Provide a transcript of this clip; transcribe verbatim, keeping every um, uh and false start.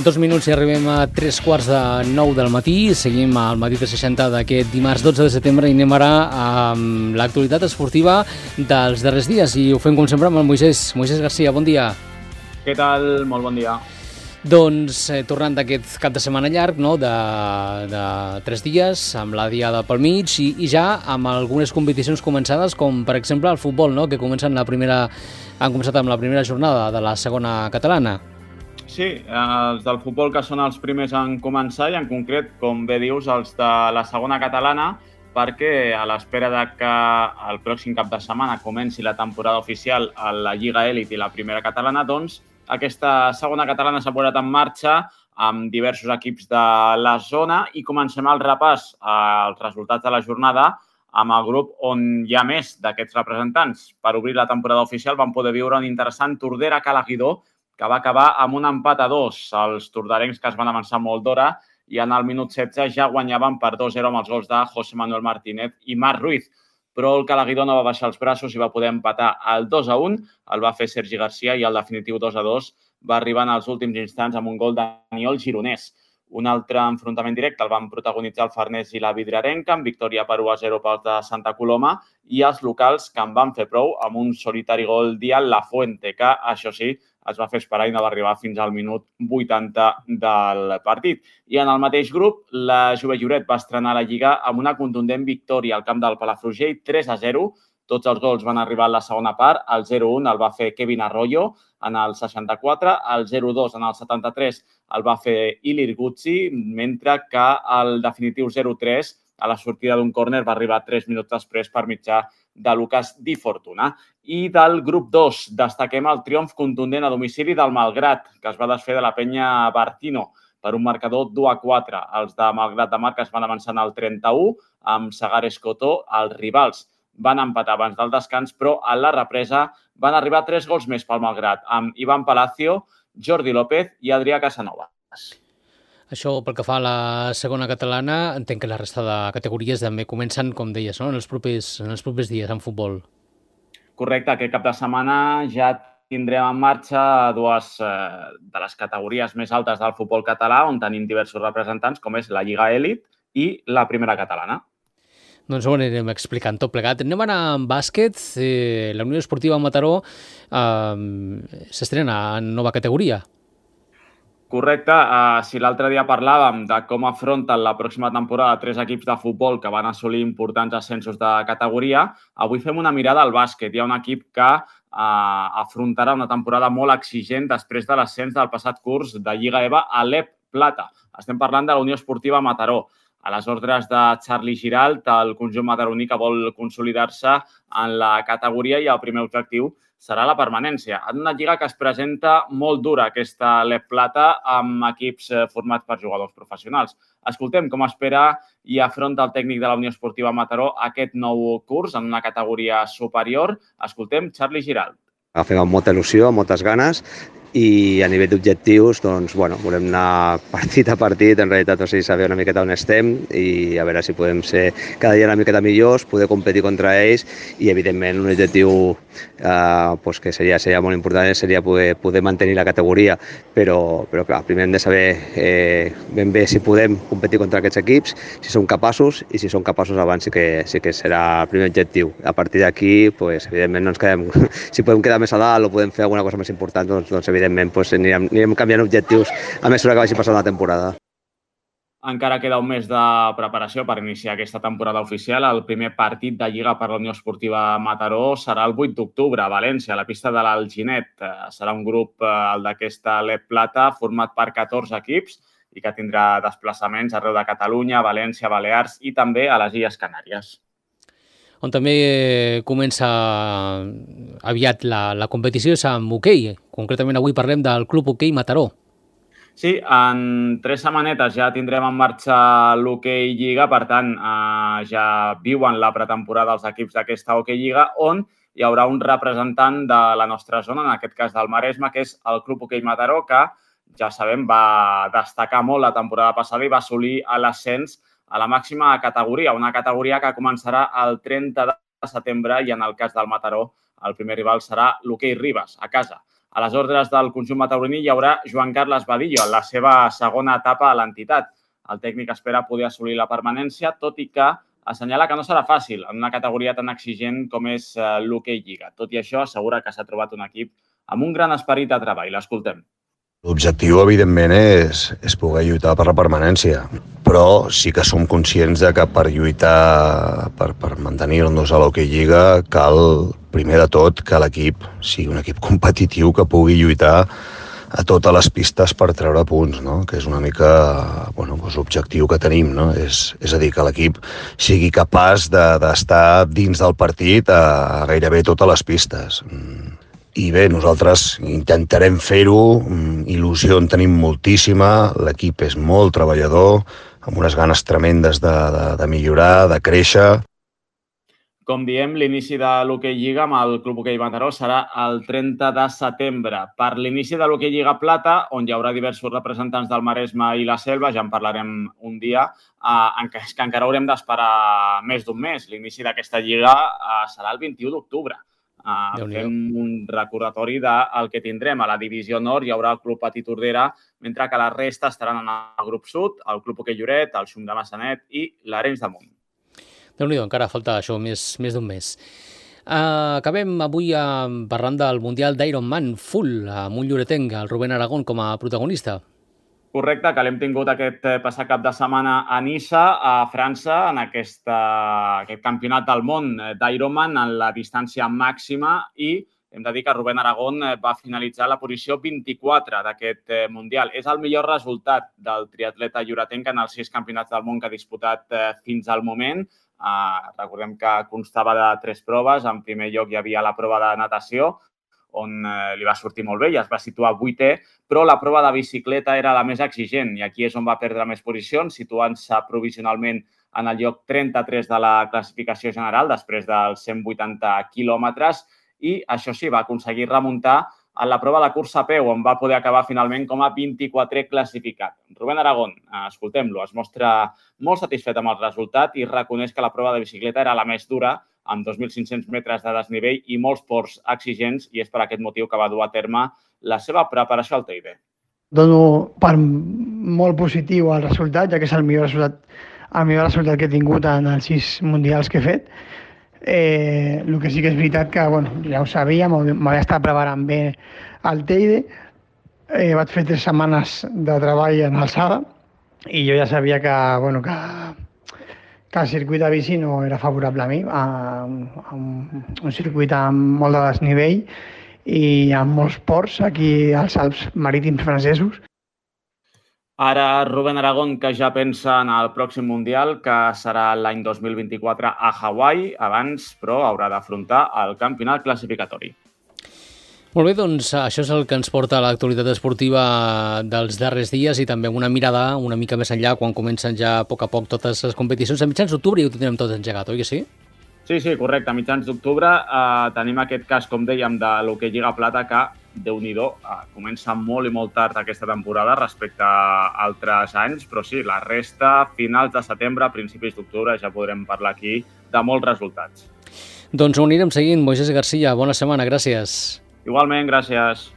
Dos minuts i arribem a tres quarts de nou del matí. Seguim al matí de seixanta d'aquest dimarts dotze de setembre i anem ara amb l'actualitat esportiva dels darrers dies. I ho fem com sempre amb el Moisés. Moisés Garcia, bon dia. Què tal? Molt bon dia. Doncs eh, tornant d'aquest cap de setmana llarg, no? de, de tres dies, amb la diada pel mig i, i ja amb algunes competicions començades, com per exemple el futbol, no? que comencen la primera, han començat amb la primera jornada de la segona catalana. Sí, els del futbol que són els primers en començar i en concret, com bé dius, els de la segona catalana, perquè a l'espera de que el pròxim cap de setmana comenci la temporada oficial a la Lliga Elit i la primera catalana, doncs aquesta segona catalana s'ha posat en marxa amb diversos equips de la zona i comencem el repàs als resultats de la jornada amb el grup on hi ha més d'aquests representants. Per obrir la temporada oficial vam poder viure un interessant Tordera-Calaguidó que va acabar amb un empat a dos. Els tordarencs que es van avançar molt d'hora i en el minut setze ja guanyaven per dos a zero amb els gols de José Manuel Martínez i Marc Ruiz. Però el Calaguidó no va baixar els braços i va poder empatar el dos a un. El va fer Sergi Garcia i el definitiu dos a dos va arribar en els últims instants amb un gol de Daniel Gironès. Un altre enfrontament directe el van protagonitzar el Farners i la Vidriarenca, amb victòria per u a zero pels de Santa Coloma, i els locals que en van fer prou amb un solitari gol d'Ian Lafuente, que, això sí, es va fer esperar i no va arribar fins al minut vuitanta del partit. I en el mateix grup, la Jove Lloret va estrenar la Lliga amb una contundent victòria al camp del Palafrugell, tres a zero. Tots els gols van arribar a la segona part. El zero a un el va fer Kevin Arroyo en el seixanta-quatre, el zero a dos en el setanta-tres el va fer Ilir Guzzi, mentre que el definitiu zero a tres a la sortida d'un córner va arribar tres minuts després per mitjà de Lucas Di Fortuna. I del grup dos destaquem el triomf contundent a domicili del Malgrat, que es va desfer de la penya Bartino per un marcador dos a quatre. Els de Malgrat de Mar que es van avançar en el trenta-u amb Sagares Cotó. Els rivals van empatar abans del descans, però a la represa van arribar tres gols més pel Malgrat, amb Ivan Palacio, Jordi López i Adrià Casanovas. Això pel que fa a la segona catalana, entenc que la resta de categories també comencen, com deies, no? en, els propers, en els propers dies en futbol. Correcte, aquest cap de setmana ja tindrem en marxa dues eh, de les categories més altes del futbol català, on tenim diversos representants, com és la Lliga Elit i la primera catalana. Doncs ho anirem explicant tot plegat. Anem a anar amb bàsquet. Eh, la Unió Esportiva Mataró eh, s'estrena en nova categoria. Correcte. Uh, si l'altre dia parlàvem de com afronten la pròxima temporada tres equips de futbol que van assolir importants ascensos de categoria, avui fem una mirada al bàsquet. Hi ha un equip que uh, afrontarà una temporada molt exigent després de l'ascens del passat curs de Lliga EVA a l'E P Plata. Estem parlant de la Unió Esportiva Mataró. A les ordres de Charlie Giralt, el conjunt mataroní que vol consolidar-se en la categoria i el primer objectiu serà la permanència. En una lliga que es presenta molt dura, aquesta l'E P Plata, amb equips formats per jugadors professionals. Escoltem com espera i afronta el tècnic de la Unió Esportiva Mataró aquest nou curs en una categoria superior. Escoltem Charlie Giralt. Agafem amb molta il·lusió, amb moltes ganes, i a nivell d'objectius, doncs, bueno, volem anar partit a partit, en realitat, o sigui, saber una miqueta on estem i a veure si podem ser cada dia una miqueta millors, poder competir contra ells i, evidentment, un objectiu eh, pues que seria, seria molt important seria poder, poder mantenir la categoria, però, però clar, primer hem de saber eh, ben bé si podem competir contra aquests equips, si som capaços i si som capaços abans sí que, sí que serà el primer objectiu. A partir d'aquí, pues, evidentment, no ens quedem, si podem quedar més a dalt o podem fer alguna cosa més important, doncs, doncs evidentment pues, anirem, anirem canviant objectius a mesura que vagi passant la temporada. Encara queda un mes de preparació per iniciar aquesta temporada oficial. El primer partit de Lliga per la Unió Esportiva Mataró serà el vuit d'octubre a València, a la pista de l'Alginet. Serà un grup, el d'aquesta l'E P Plata, format per catorze equips i que tindrà desplaçaments arreu de Catalunya, València, Balears i també a les Illes Canàries. On també comença aviat la, la competició és amb hoquei. Concretament avui parlem del Club Hoquei Mataró. Sí, en tres setmanetes ja tindrem en marxa l'Hoquei Lliga, per tant, eh, ja viuen la pretemporada els equips d'aquesta Hoquei Lliga, on hi haurà un representant de la nostra zona, en aquest cas del Maresme, que és el Club Hoquei Mataró, que, ja sabem, va destacar molt la temporada passada i va assolir l'ascens a la màxima categoria, una categoria que començarà el trenta de setembre i en el cas del Mataró el primer rival serà l'Hoquei Ribes, a casa. A les ordres del conjunt mataroní hi haurà Joan Carles Badillo en la seva segona etapa a l'entitat. El tècnic espera poder assolir la permanència, tot i que assenyala que no serà fàcil en una categoria tan exigent com és l'hoquei lliga. Tot i això, assegura que s'ha trobat un equip amb un gran esperit de treball. L'escoltem. L'objectiu, evidentment, és, és poder lluitar per la permanència, però sí que som conscients de que per lluitar, per, per mantenir-nos a l'hoquei lliga, cal, primer de tot, que l'equip sigui un equip competitiu que pugui lluitar a totes les pistes per treure punts, no? Que és una mica bueno, doncs l'objectiu que tenim, no? És, és a dir, que l'equip sigui capaç d'estar de, dins del partit a, a gairebé totes les pistes. I bé, nosaltres intentarem fer-ho, il·lusió en tenim moltíssima, l'equip és molt treballador, amb unes ganes tremendes de, de, de millorar, de créixer. Com diem, l'inici de l'hoquei lliga amb el Club Hoquei Mataró serà el trenta de setembre. Per l'inici de l'hoquei lliga plata, on hi haurà diversos representants del Maresme i la Selva, ja en parlarem un dia, eh, en què, que encara haurem d'esperar més d'un mes. L'inici d'aquesta lliga eh, serà el vint-i-u d'octubre. Uh, fem un recordatori del que tindrem. A la divisió nord hi haurà el Club Patí Tordera, mentre que la resta estaran en el grup sud, el Club Hoquei Lloret, el Xum de Massanet i l'Arenys de Munt. Déu-n'hi-do, encara falta això, més, més d'un mes. Uh, acabem avui uh, parlant del Mundial d'Ironman Full, amb un lloretenc, el Rubén Aragón, com a protagonista. Correcte, que l'hem tingut aquest passat cap de setmana a Niça, a França, en aquesta, aquest campionat del món d'Ironman en la distància màxima, i hem de dir que Rubén Aragón va finalitzar la posició vint-i-quatre d'aquest Mundial. És el millor resultat del triatleta lloretenc en els sis campionats del món que ha disputat fins al moment. Uh, recordem que constava de tres proves. En primer lloc hi havia la prova de natació, on eh, li va sortir molt bé i es va situar vuitè, però la prova de bicicleta era la més exigent i aquí és on va perdre més posicions, situant-se provisionalment en el lloc trenta-tres de la classificació general després dels cent vuitanta quilòmetres, i això sí, va aconseguir remuntar en la prova de cursa a peu, on va poder acabar finalment com a vint-i-quatrè classificat. Rubén Aragón, escoltem-lo, es mostra molt satisfet amb el resultat i reconeix que la prova de bicicleta era la més dura, amb dos mil cinc-cents metres de desnivell i molts ports exigents, i és per aquest motiu que va dur a terme la seva preparació al Teide. Dono per molt positiu el resultat, ja que és el millor resultat, el millor resultat que he tingut en els sis mundials que he fet. Eh, el que sí que és veritat que, bueno, ja ho sabia, m'havia estat preparant bé al Teide, eh, vaig fer tres setmanes de treball en alçada i jo ja sabia que, bueno, que, que el circuit de bici no era favorable a mi, a, a un, un circuit amb molt de desnivell i amb molts ports aquí als Alps marítims francesos. Ara Rubén Aragón, que ja pensa en el pròxim Mundial, que serà l'any dos mil vint-i-quatre a Hawaii, abans, però, haurà d'afrontar el campionat classificatori. Molt bé, doncs això és el que ens porta a l'actualitat esportiva dels darrers dies i també una mirada una mica més enllà quan comencen ja a poc a poc totes les competicions. A mitjans d'octubre ja ho tindrem tot engegat, oi que sí? Sí, sí, correcte. A mitjans d'octubre eh, tenim aquest cas, com dèiem, de l'hoquei Lliga Plata, que Déu-n'hi-do, eh, comença molt i molt tard aquesta temporada respecte a altres anys, però sí, la resta, finals de setembre, principis d'octubre, ja podrem parlar aquí de molts resultats. Doncs ho anirem seguint. Moisés Garcia, bona setmana, gràcies. Igualment, gràcies.